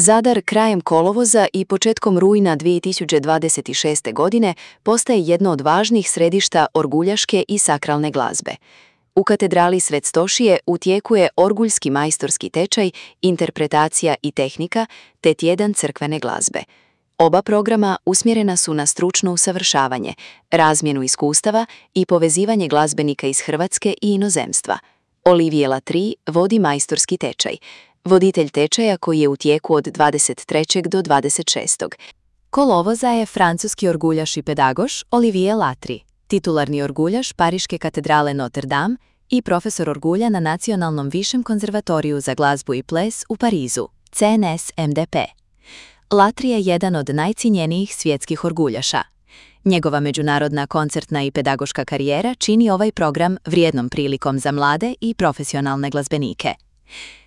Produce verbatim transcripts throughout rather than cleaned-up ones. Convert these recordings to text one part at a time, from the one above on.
Zadar krajem kolovoza i početkom rujna dvije tisuće dvadeset šeste. godine postaje jedno od važnih središta orguljaške i sakralne glazbe. U katedrali Svet Stošije u tijeku je orguljski majstorski tečaj, interpretacija i tehnika, te tjedan crkvene glazbe. Oba programa usmjerena su na stručno usavršavanje, razmjenu iskustava i povezivanje glazbenika iz Hrvatske i inozemstva. Olivier Latry vodi majstorski tečaj, voditelj tečaja koji je u tijeku od dvadeset trećeg do dvadeset šestog kolovoza je francuski orguljaš i pedagoš Olivier Latry, titularni orguljaš Pariške katedrale Notre Dame i profesor orgulja na Nacionalnom višem konzervatoriju za glazbu i ples u Parizu, C N S M D P. Latry je jedan od najcijenjenijih svjetskih orguljaša. Njegova međunarodna koncertna i pedagoška karijera čini ovaj program vrijednom prilikom za mlade i profesionalne glazbenike.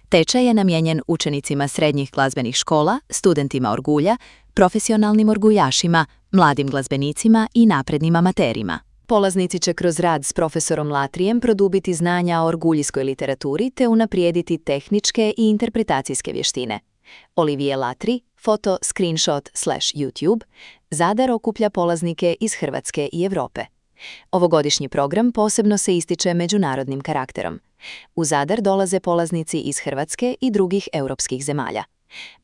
Tečaj je namijenjen učenicima srednjih glazbenih škola, studentima orgulja, profesionalnim orguljašima, mladim glazbenicima i naprednim amaterima. Polaznici će kroz rad s profesorom Latryjem produbiti znanja o orguljskoj literaturi te unaprijediti tehničke i interpretacijske vještine. Olivier Latry, foto screenshot slash YouTube, Zadar okuplja polaznike iz Hrvatske i Europe. Ovogodišnji program posebno se ističe međunarodnim karakterom. U Zadar dolaze polaznici iz Hrvatske i drugih europskih zemalja.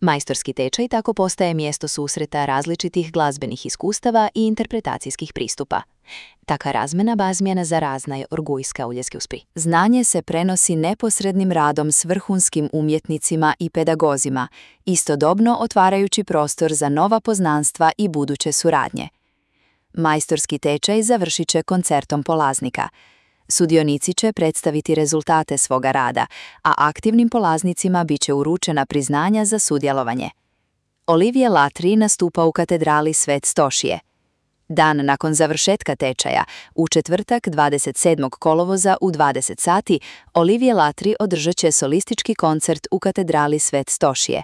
Majstorski tečaj tako postaje mjesto susreta različitih glazbenih iskustava i interpretacijskih pristupa. Taka razmjena bazmjena za razna je orgujska uljeski uspri. Znanje se prenosi neposrednim radom s vrhunskim umjetnicima i pedagozima, istodobno otvarajući prostor za nova poznanstva i buduće suradnje. Majstorski tečaj završit će koncertom polaznika. Sudionici će predstaviti rezultate svoga rada, a aktivnim polaznicima bit će uručena priznanja za sudjelovanje. Olivier Latry nastupa u katedrali Svet Stošije. Dan nakon završetka tečaja, u četvrtak dvadeset sedmog kolovoza u dvadeset sati, Olivier Latry održat će solistički koncert u katedrali Svet Stošije.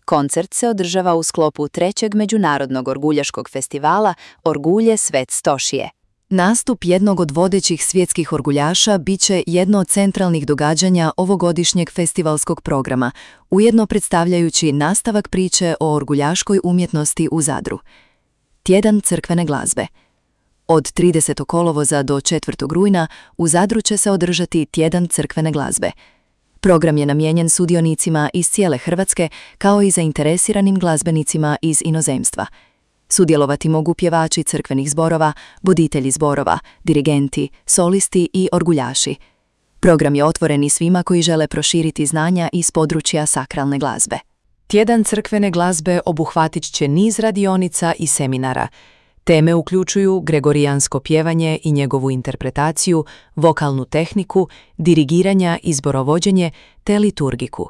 Koncert se održava u sklopu trećeg međunarodnog orguljaškog festivala Orgulje Svet Stošije. Nastup jednog od vodećih svjetskih orguljaša bit će jedno od centralnih događanja ovogodišnjeg festivalskog programa, ujedno predstavljajući nastavak priče o orguljaškoj umjetnosti u Zadru. Tjedan crkvene glazbe. Od tridesetog kolovoza do četvrtog rujna u Zadru će se održati Tjedan crkvene glazbe. Program je namijenjen sudionicima iz cijele Hrvatske kao i zainteresiranim glazbenicima iz inozemstva. Sudjelovati mogu pjevači crkvenih zborova, voditelji zborova, dirigenti, solisti i orguljaši. Program je otvoren i svima koji žele proširiti znanja iz područja sakralne glazbe. Tjedan crkvene glazbe obuhvatit će niz radionica i seminara. Teme uključuju gregorijansko pjevanje i njegovu interpretaciju, vokalnu tehniku, dirigiranja i zborovođenje te liturgiku.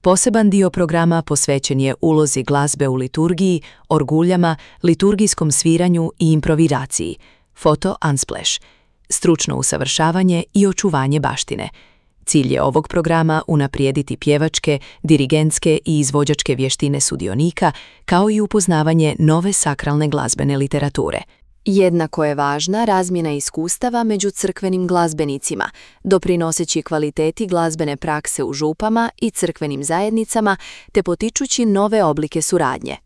Poseban dio programa posvećen je ulozi glazbe u liturgiji, orguljama, liturgijskom sviranju i improvizaciji, foto unsplash, stručno usavršavanje i očuvanje baštine. Cilj je ovog programa unaprijediti pjevačke, dirigentske i izvođačke vještine sudionika, kao i upoznavanje nove sakralne glazbene literature. Jednako je važna razmjena iskustava među crkvenim glazbenicima, doprinoseći kvaliteti glazbene prakse u župama i crkvenim zajednicama te potičući nove oblike suradnje.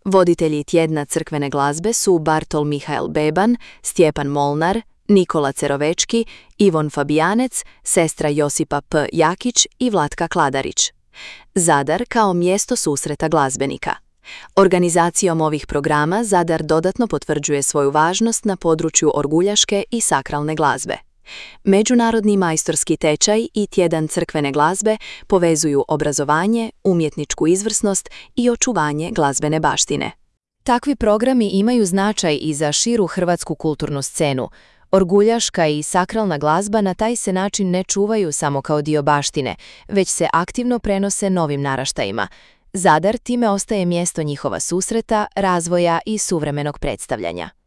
Voditelji tjedna crkvene glazbe su Bartol Mihael Beban, Stjepan Molnar, Nikola Cerovečki, Ivon Fabijanec, sestra Josipa P. Jakić i Vlatka Kladarić. Zadar kao mjesto susreta glazbenika. Organizacijom ovih programa Zadar dodatno potvrđuje svoju važnost na području orguljaške i sakralne glazbe. Međunarodni majstorski tečaj i Tjedan crkvene glazbe povezuju obrazovanje, umjetničku izvrsnost i očuvanje glazbene baštine. Takvi programi imaju značaj i za širu hrvatsku kulturnu scenu. Orguljaška i sakralna glazba na taj se način ne čuvaju samo kao dio baštine, već se aktivno prenose novim naraštajima. Zadar time ostaje mjesto njihova susreta, razvoja i suvremenog predstavljanja.